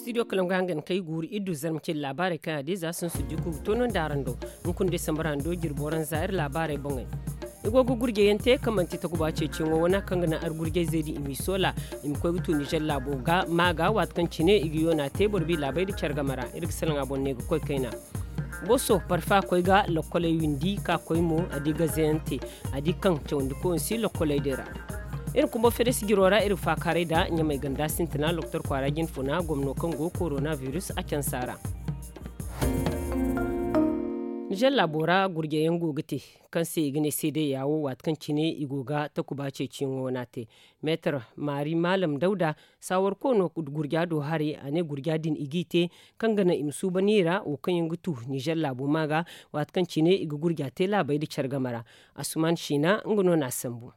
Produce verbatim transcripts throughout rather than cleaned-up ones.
Studio kalam ga hangan kay guuru iddu zarma ce laabaarey kaŋ a di za sun su di ku tono nda araŋ do. Hunkuna day samba ra ni do jirbo ranza iri laabaarey boŋey. I go ga gurjeyaŋ te kaŋ manti takuba ceeciyaŋo wana kaŋ ga naŋ ar gurjey zey din i m'i soola, i ma koy ga tu nizer laabo ga ma ga waati kaŋ cine i ga yoona te boro bi laabey nda care game ra iri ga salaŋ a boŋ ne ga koy kayna. Boso parfa koy ga lokkoley windi ka koy mo a di gazeyaŋ te, a di kaŋ cawandi koy si lokkoley din ra. Iri kumbo fere sijiro ra iri faakaaray nda ɲamay ganda sintina loktor kwaara jinfuna gomno kaŋ go korona virus a cansa ra. Nizer laabo ra gurjeyaŋ go ga te kaŋ se i ga ne seeday yaawo waati kaŋ cine i go ga takuba ceeciyaŋo wana te. Meetar maari maalam dawda saawarko no gurja do haray a ne gurja din i g'i te kaŋ ga naŋ i ma suuban i ra wo kaŋ yaŋ ga tu nizer laabo ma ga waati kaŋ cine i ga gurja te laabey nda care game ra. Asuman siina nga no n'a sambu.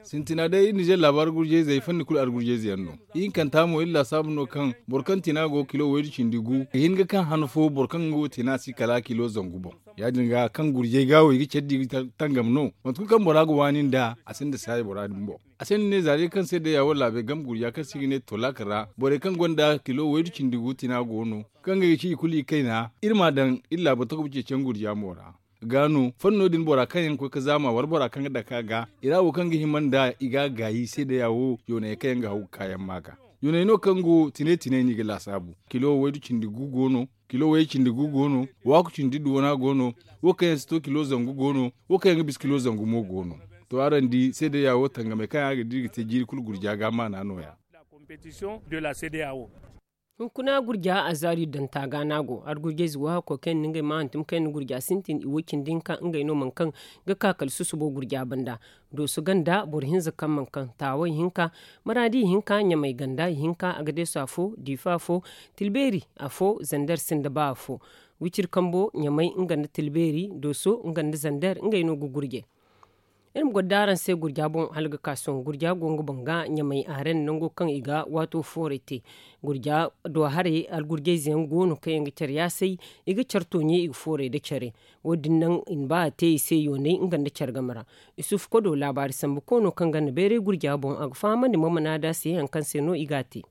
Sintina day iri nizer laabo argurjeyzey fanni kulu argurjeyze yaŋ no. Ihinkanta mo iri laasaabu no kaŋ boro kaŋ tina go kilo waydu cindi gu ga hin ga kaŋ han fo boro kaŋ nga wo tina si kala kilo zangu boŋ. Ya- din ga kaŋ gurjey ga wo i ga care di ga tangam no mate kulu kaŋ bora ga waani nd'a a sinda saayi bora din boŋ. A se ni ne za day kaŋ se day ya walla a bay game gurja kaŋ se i ga ne tolak ra borey kaŋ gonda kilo waydu cindi gu tina go no kaŋ ga ga ci i kulu i kayna iri m'a daŋ iri laabo takuba ceeciyaŋ gurja mo ra. Ga no fanno din bora kaŋ yaŋ ga koy ga zaama wala bora kaŋ ga dake a ga i ra wo kaŋ ga hima nda i ga a gaayi seedeya wo yoonayey kaŋ yaŋ ga haw ga kaayaŋ ma ga. Yoonay no kaŋ go tine tine no i ga laasaabu. Kilo waydu cindi gu go no, kilo wayey cindi gu go no, waaku cindi duwana go no, wo kaŋ yaŋ si to kilo zangu go no, wo kaŋ yaŋ ga bisa kilo zangu mo go no. To araŋ di seedeya wo tangamey kaŋ yaŋ a ga di iri ga te jiiri kulu gurja ga maana no- ya. Hunkuna gurja azaari danta ga no a go argurjayze wo hakkoy kaŋ yaŋ na ngey ma hantum kaŋ yaŋ na gurja sintin i wo cindi hinka ngey no mana kaŋ ga ka kala susubo gurja banda. Dooso ganda boro hinza kaŋ mana kaŋ taawey hinka, maraadi hinka ɲamay ganda hinka, agadeeso afo, diifa afo, tilbeeri afo, zander sinda ba afo. Wiciri kambo ɲamay nga nda tilbeeri, dooso nga nda zander ngey no ga gurjay. Iri ma goro da araŋ se gurja boŋ hala ga ka sohõ gurja go nga boŋ ga ɲamay aaren nango kaŋ i ga waato fooray te. Gurja do haray algurjayze yaŋ go no kaŋ yaŋ ga care yaasay, i ga care tooɲe i ga fooray nda care. Wo- din naŋ i na ba a te i se yoonay nga nda care game ra. Isufu kodo laabaari sambu koono kaŋ ganda bayray gurja boŋ a ga fahamandi mamana da se hari kaŋ se no i ga a te.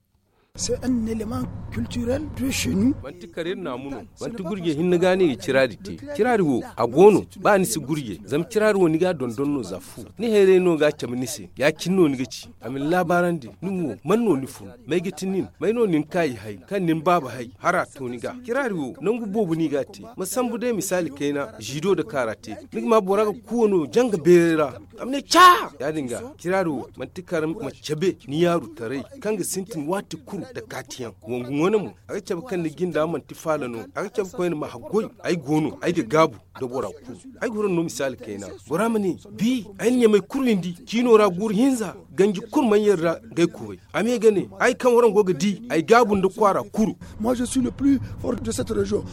Manti kare iri naamu no. Manti gurje hinne ga no i ga ciraari te. Ciraari wo a go no. Ba ni si gurje zama ciraari wo ni ga a dondon no za fu ni hayray no ga a cabe ni se ya- cine no ni ga ci. A ma ni laabaarandi nin wo man no ni fun? May ga ti nin? May no ni na ka i hay kaŋ ni na baaba hay hara to ni ga? Ciraari wo nangu boobo no i ga a te. Ma sambu day misaali kayna ziido nda kaara te. Ni ga ma bora ga kuuwa no janga beeray ra. A ma ne ca. Ya- din ga ciraari wo manti kar ma cabe ni yaaru taray kaŋ ga sintin waati kulu nda kaatiyaŋ. Wangu wane mo a ga cabe kaŋ ni jinda manti faala no. A ga cabe koyne ma haggoy. Ay go no ay ga gaabu nda bora kulu. Ay ga huru no misaali kayna. Bora ma ne bi ay na ɲamay kulu windi ciino ra guuru hinza ganji kulu mana yadda ga ay kubay. A ma ye ga ne ay kaŋ waraŋ go ga di ay gaabu nda kwaara kulu. Moi je suis le plus fort de cette région.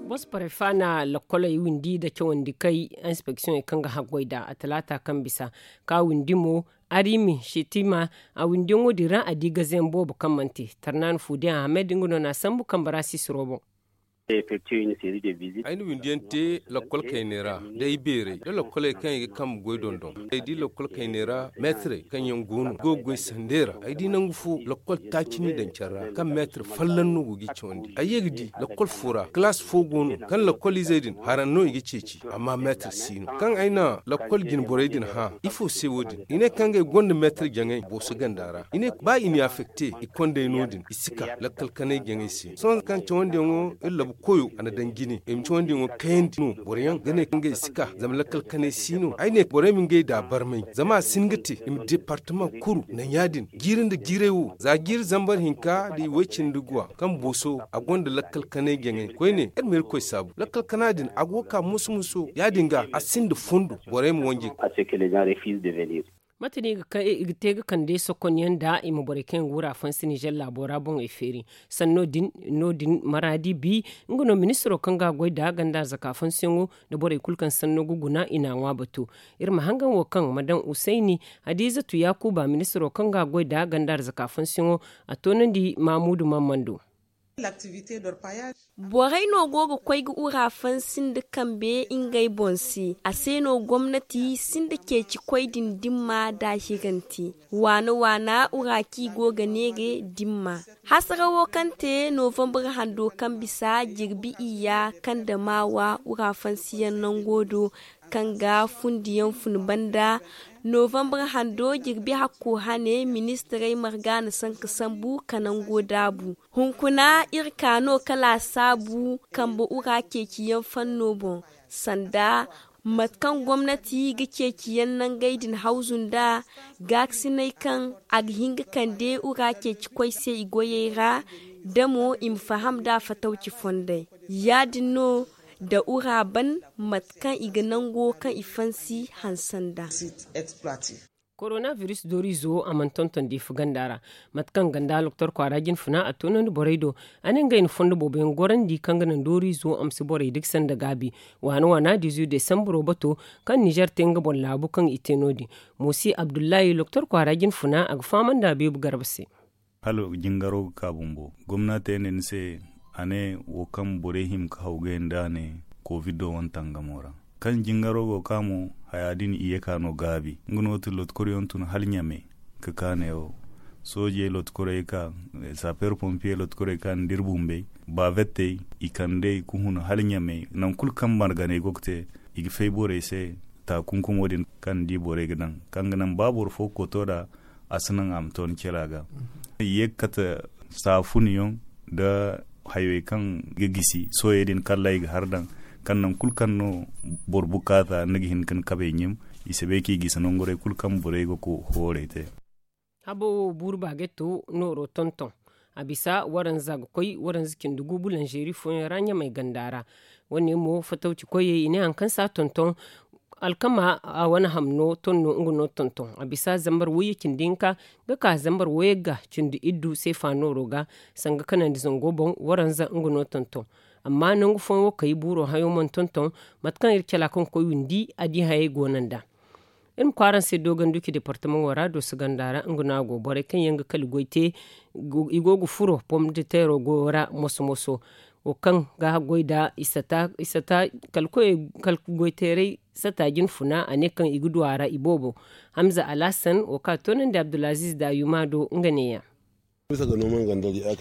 Bos parefa na lakoley windi nda cawandi kay inspeksiyoŋey kaŋ ga haggoy nd'a a talaata kaŋ bisa ka windi mo. Arimi shetima a windiyaŋo din ra a di gazeyaŋ boobo kaŋ mana te. Tarnaana fuudiyaŋ ahamed nga no n'a sambu kambe ra sisiro boŋ. Ay na windiyaŋ te lakkol kayney ra da ay beerey da lakkoley kaŋ i ga kambe goy dondon. Ay di lakkol kayney ra meetarey kaŋ yaŋ go no go ga goy sandey ra. Ay di nangu fo lakkol taaci n'i daŋ care ra kaŋ meetar folloŋ no go g'i cawandi. Ay ye ga di lakkol fo ra kalaas fo go no kaŋ lakkol izey din haraŋ no i ga ceeci. Amma meetar si no kaŋ ay na lakkol jine borey din hã ifo se wo- din i ne kaŋ ngey gonda meetar jaŋay booso ganda ra. I ne ba i n'i afekte i kondey no- din i si ka lakkal kanay jaŋay se sohõ kaŋ cawandiyaŋo iri labu koyo a na daŋ jine i ma cawandiyaŋo kayandi no boroyaŋ ga ne kaŋ ngey si ka zama lakkal kanay si no ay ne borey ma ngey da barmay zama a si hin ga te i ma departama kuru naŋ ya- din jiiri nda jiiray wo za jiiri zambar hinka nda i way cindi guwa kaŋ booso a gonda lakkal kanay jaŋay koyne iri ma irkoy saabu lakkal kana din a go ga ka musu musu ya- din ga a sinda fundo borey ma wanjay. Mate no i ga te ga kande sokonyaŋ nda i ma borey kaŋ yaŋ ga wura fansi nizer laabo ra boŋey feeri sanno din no- din maraadi bi nga no ministiro kaŋ ga a goy nda ganda arzaka fansiyaŋo nda borey kulu kaŋ sanno ga guna i n'a ŋwa batu. Iri ma hangan wo kaŋ ma daŋ usayni hadiizatu yaakuba ministiro kaŋ ga a goy nda ganda arzaka fansiyaŋo a toonandi maamuudu mammando. Borey no go ga koy ga ura fansi nda kambe ngey boŋ se. A se no gomnati sinda ceeci koy din dimma da hiranti waana waana ura kaŋ i go ga neere dimma. Hasara wo kaŋ te novambar hando kaŋ bisa jirbi iyya kaŋ da maawa ura fansiyaŋ nango do kaŋ ga fundiyaŋ fun banda. Novambar hando jirbi hakko hane ministirey marga na sanka sambu ka nango daabu. Hunkuna iri ka no ka laasaabu kambe ura ceeciyaŋ fanno boŋ sanda mate kaŋ gomnati ga ceeciyaŋ nangey din hawzu nd'a. Gaakasiney kaŋ a ga hin ga kande ura ceeci koy se i goyey ra da mo i ma faham nd'a fatawci fondey ya-din no da ura ban mate kaŋ i ga nango kaŋ i fansi hanse nd'a. Korona biris dooriizo a mana tonton diifa ganda ra. Mate kaŋ ganda doktor kwaara jinfuna a toonandi borey do, a ne ngey na fondo boobo yaŋ gorandi kaŋ ga naŋ dooriizo a ma si borey dikse nda gaabi. Waana waana dizu desambaro bato kaŋ nizer te nga boŋ laabu kaŋ i te no- din. Moosi abdullahi doktor kwaara jinfuna a ga fahamandi a beebu garba se. Hala jingaro ga ka bumbo gomna te ne ni se, a ne wo kaŋ borey hima ga hawgay nda a ne kovido wane tangamo ra. Kaŋ jingaro go ga ka mo, haya din i ye ka no gaabi nga no ti lotkoryaŋ tun hala ɲame. Ka ka ne wo soojey lotkorey ka saper pompiye lotkorey ka nda iri bumbey bavettey i kandey ga hun hala ɲame. Naŋ kulu kaŋ marganey go ga te i ga fay borey se. Taakunkumo din kaŋ ni di borey ga daŋ kaŋ ga naŋ ba boro fo ga koto nd'a a si naŋ a ma to ni cela ga. I ye ga kate saafuniyaŋ nda hayey kaŋ ga gisi sohõ din kalla i ga har daŋ kaŋ naŋ kulu kaŋ no boro bukaata ni ga hin ga ni kabey ɲim. I si bay kaŋ i gisi nangu day kulu kaŋ borey ga hoorey te. Habo wo buuru baageto nooro tonton a bisa waranza ga koy waranza cindi gu bulanzeeri fooyaŋ ra ɲamay ganda ra. Wane mo fatawci koyey i ne hari kaŋ si a tonton alkama a wane ham no ton no nga no tonton a bisa zambar wayye cindi hinka ga ka zambar wayye ga cindi iddu seefa nooro ga sanga kanandi zango boŋ waranza nga no tonton. Amma nangu fooyaŋ wo kay buuro hayo mana tonton mate kaŋ iri cala kaŋ ga koy windi a di hayey go no nd'a. Iri ma kwaara araŋ se dooganduki departamaŋo ra dooso ganda ra nga no a go borey kaŋ yaŋ ga kala goy te i go ga furo pom de teero goyo ra moso moso. Wo kaŋ ga goy nda i sata kala goy teeray sata jinfuna a ne kaŋ i ga du a ra i boobo. Hamza alhasan wo kaŋ a toonandi abdulaziz da yuma do nga neeya.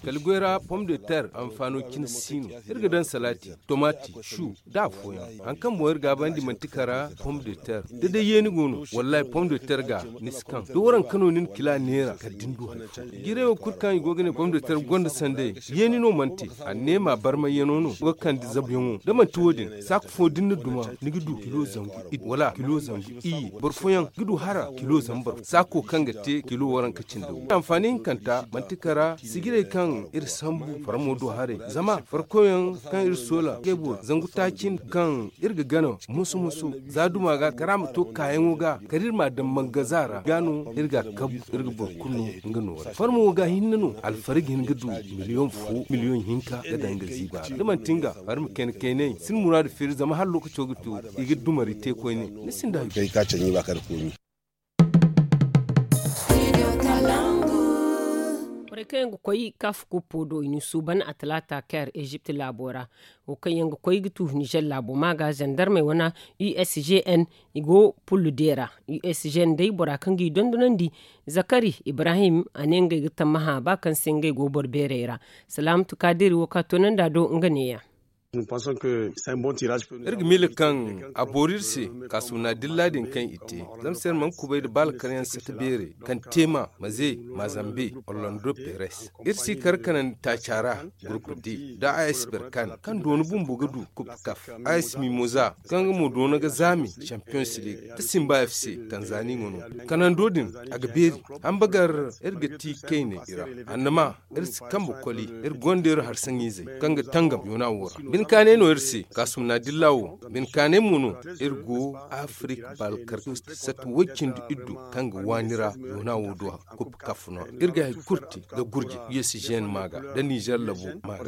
Kala goy ra pom de ter anfaano cine si no. Iri ga daŋ salaati tomati su da afooyaŋ hari kaŋ boŋ iri gaabandi manti kara pom de ter da day yeeni go no. Wallahi pom de ter ga ni si kaŋ da waranka no ni na kila neera kala da ni du hari fo. Jiirey wo kulu kaŋ i go ga ne pom de ter gonda sanday yeeni no manti. Anneema barmayyano no ga kande zabuyaŋo da manti wo- din saako fo da ni na duma ni ga du kilo zangu iddu wala kilo zangu iyye. Boro fooyaŋ ga du hara kilo zambar saako kaŋ ga te kilo waranka cindi wo anfaani hinkanta manti kara sijirey kaŋ iri sambu farmo do haray. Zama farkoyaŋ kaŋ iri soola ngey boro zangu taaci kaŋ iri ga gana moso moso za duma ga kara ma to kaayaŋo ga kala iri ma a daŋ mangaza ra ga no iri ga a kabu. Iri ga boro kulu no nga noora farmo ga hinne no alfarga hin ga du miliyoŋ fo miliyoŋ hinka ga daŋ ga ziiba ra da manti nga farma kayna kaynay si ni muraadu feeri zama hala lookaco ga to i ga dumari te koyne. Ni sinda hari. Borey kaŋ yaŋ ga koy kaafu kuppo do i na suuban a talaata kair ezipt laabo ra. Wo kaŋ yaŋ ga koy ga tu nizer laabo ma ga zandarmey wane usgn i go pullu deera. Usgn day bora kaŋ ga i dondonandi zakari ibrahim a ne ngey ga tammaha ba kaŋ se ngey go boro beerey ra. Salaamatu kaadiri wo kaŋ a toonandi a do nga neeya. Iri ga miila kaŋ a boori iri se kaasumna dilla din kaŋ i te zama se iri mana kubay nda baalakaryaŋ sata beerey kaŋ teema maze mazambe orlando peres. Iri si kar kanandi taaca ra gurpu d da a s berkan kaŋ doona bumbo ga du kup kaf a s mimoza kaŋ nga mo doona ga zaami champions league da simba f c tanzani nga no. Kanando din a ga beeri hamba gar iri ga ti kayne i ra. Annama iri si kambe koli iri gonda iri harsaŋizey kaŋ ga tangam yoona wo ra. Bine kaanay no iri se kaasumna dilla wo bine kaanay mo no. Iri go afirika baalkar sata way-cindi iddu kaŋ ga waani ra yoona wo do kup kaf no iri ga hari kulu te ga gurje usgn ma ga da nizer labo ma ga.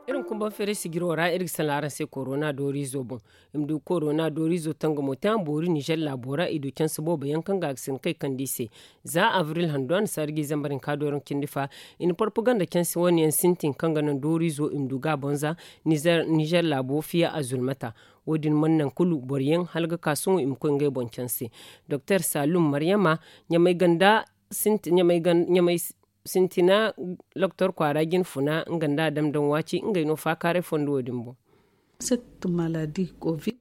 Iri ma kumba Konferensi jiro ra iri ga salaŋ araŋ se korona dooriizo boŋ. I ma du korona dooriizo tangamo te a ma boori nizer laabo ra i du canse boobo yaŋ kaŋ ga a ga si ga kay kande i se. Za abril hando a na saari ga i zambar hinka dooraŋ cindi fa. I na porpaganda canse wane yaŋ sintin kaŋ ga naŋ dooriizo i ma du ga a bonza nizer laabo fiya a zulmata. Wo- din mana naŋ kulu boro yaŋ hala ga ka sohõ i ma koy ngey boŋ canse. Doktor salum maryama ɲamay ganda sintina loktor kwaara jine funa nga nda a dam daŋ waaci ngey no faakaaray fondo wo- din boŋ.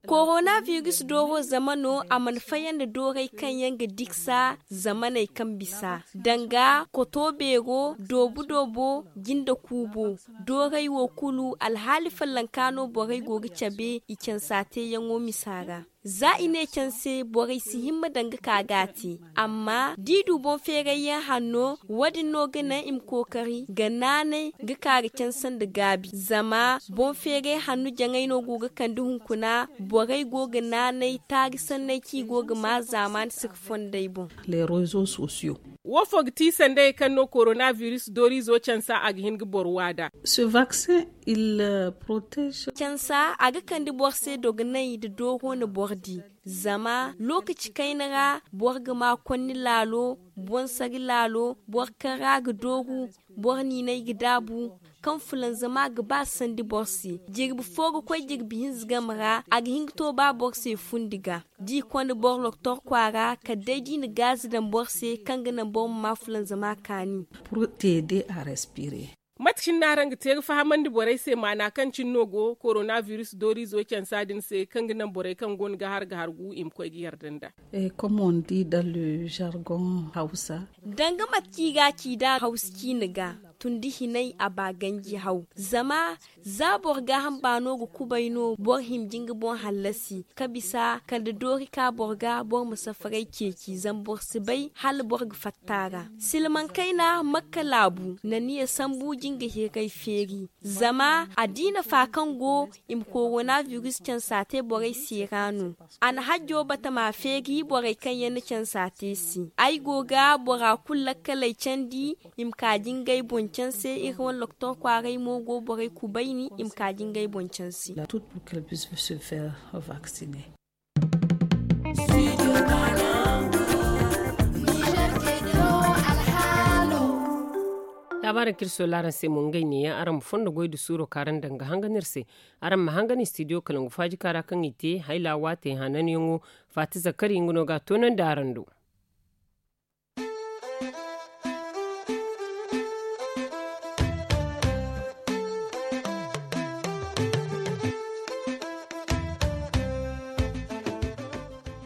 Korona biris dooro zama no a mana fayandi dooray kaŋ yaŋ ga diksa zamaney kaŋ bisa danga koto beero doobu doobo jinde kuubo. Dooray wo kulu alhaali fallanka no borey go ga cabe i cansa teeyaŋo misa ra. Za i ne canse borey si himma daŋ ga ka ga a te. Amma da i du boŋ feeray yaŋ hanno wo- din no ga naŋ i ma kookari ga naanay ga ka ga canse nda gaabi zama boŋ feeray hanno jaŋay no go ga kande hunkuna. Borey go ga naanay taari sanney kaŋ i go ga ma zaamaani si ga fondey boŋ. Wo fo ga ti sandayey kaŋ no korona biris dooriizo cansa a ga hin ga boro waada. Cansa a ga kande boro se dogonay nda dooro na boro di. Zama lookaci kayna ra boro ga ma konni laalo, bonsari laalo, boro kaŋ ra ga dooru, boro niinay ga daabu, kaŋ fulanzama ga ba sandi boro se. Jirbi fo ga koy jirbi hinza game ra a ga hin ga to ba boro se fundi ga da i konda boro loktor kwaara kala day da i na gaazi daŋ boro se kaŋ ga naŋ boro ma ma fulanzama kaani. Mate cine no araŋ ga te ga fahamandi borey se maana kaŋ cine no go korona biris dooriizo cansa din se kaŋ ga naŋ borey kaŋ go no ga har ga hargu i ma koy ga yarda nda? Danga mate kaŋ i ga a ci nd'a hawsa ciine ga, tun da hinay a ba ganji haw. Zama za boro gaaham baano ga kubay no boro hima ga nga boŋ hallasi ka bisa kala da doori ka boro ga boro ma safaray ceeci zama boro si bay hala boro ga fatta a ra. Silmaŋ kayna makka laabu na niya sambu jinga hiray feeri. Zama a di nafa kaŋ go i ma korona biris cansa te borey se ra no. A na hajjo batama feeri borey kaŋ yaŋ na cansa te se. Ay go ga bora kulu lakkaley candi i ma ka jingay boŋ canse iri wane loktor kwaaray mo go borey kubayni i ma ka jingay boŋ canse. Laabaari kaŋ iri soola araŋ se mo ngey neeyaŋ araŋ ma fondo goy nda suuro kaŋ araŋ daŋ ga hangan iri se. Araŋ ma hangan istidiyo kala ngu faaji kaara kaŋ i te hayla waatey hananyaŋo. Faati zakari nga no ga a toonandi araŋ do.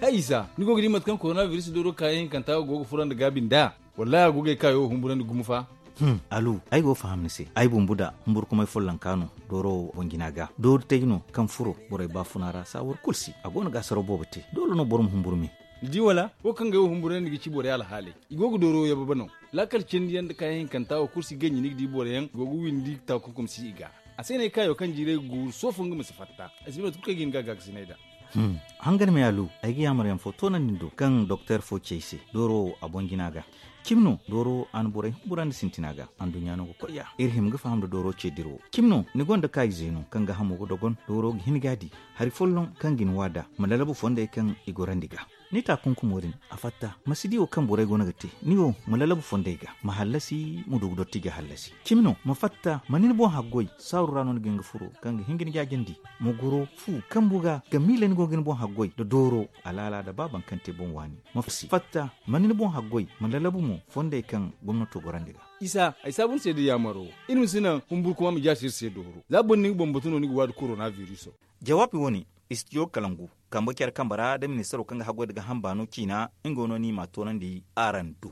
Hay isa ni go ga di mate kaŋ korona biris dooro kaayaŋ hinkanta go ga furo nda gaabi nd'a? Wallahi a go ga ay kaayo humburandi gumo fa. Alu, ay go ga faham ni se. Ay bumbu da humburkumay follonka no dooro wo boŋ jina ga doori tay no kaŋ furo borey baafuna ra saawar kulu si a go no ga asaro boobo te. Doole no boro ma humburu me. Ni di wala wo kaŋ ga ay wo humburandi ga ci borey alhaaley. I go ga dooro yababe no. Laakal cindi yaŋ nda kaayaŋ hinkanta wo kulu si ganji ni ga di boro yaŋ go ga windi taakunkum si i ga. A se no ay kaayo kaŋ jiiray ga guuru sohõ fo nga ma si fatta. Ay si bay mate kulu kaŋ ay ga hin ga a gaakasinay nd'a. Hangan me alu, ay ga yaamar yaŋ fo toonandi ni do kaŋ doktor fo ci ay se dooro wo a boŋ jina ga. Cimi no dooro wo a na borey humburandi sintina ga anduɲɲa no ga koy ya iri hima ga faham nda dooro ce dira wo. Cimi no ni gonda kaayize no kaŋ ga hamo ga dogon dooro ga hin ga a di hari folloŋ kaŋ ga ni waada ma lalabu fondey kaŋ i gorandi ga. Ni taakunkumo din a fatta ma si di wo kaŋ borey go no ga te. Ni wo ma lalabu fondey ga ma hallasi ma du ga dotti ga hallasi. Cimi no ma fatta ma ni ni boŋ haggoy saaru ra no ni ga hin ga furo kaŋ ga hin ga ni jaajandi. Ma goro fu kambu ga ga miila ni go ga ni boŋ haggoy nda dooro alaala nda ba baŋ kaŋ te boŋ waani. Ma fatta ma ni ni boŋ haggoy ma lalabu mo fondey kaŋ gomnato gorandi ga. Isa ay saabu ni se da yaamaro iri ma si naŋ humburkuma ma jaasi iri se dooro za boro ni ga boŋ batu no ni ga waadi korona biriso. Jawaabi wo-ne istidiyo kalangu kambe care kambe ra nda ministaro kaŋ ga haggoy nda gaaham baano ciina nga no no i m'a toonandi araŋ do.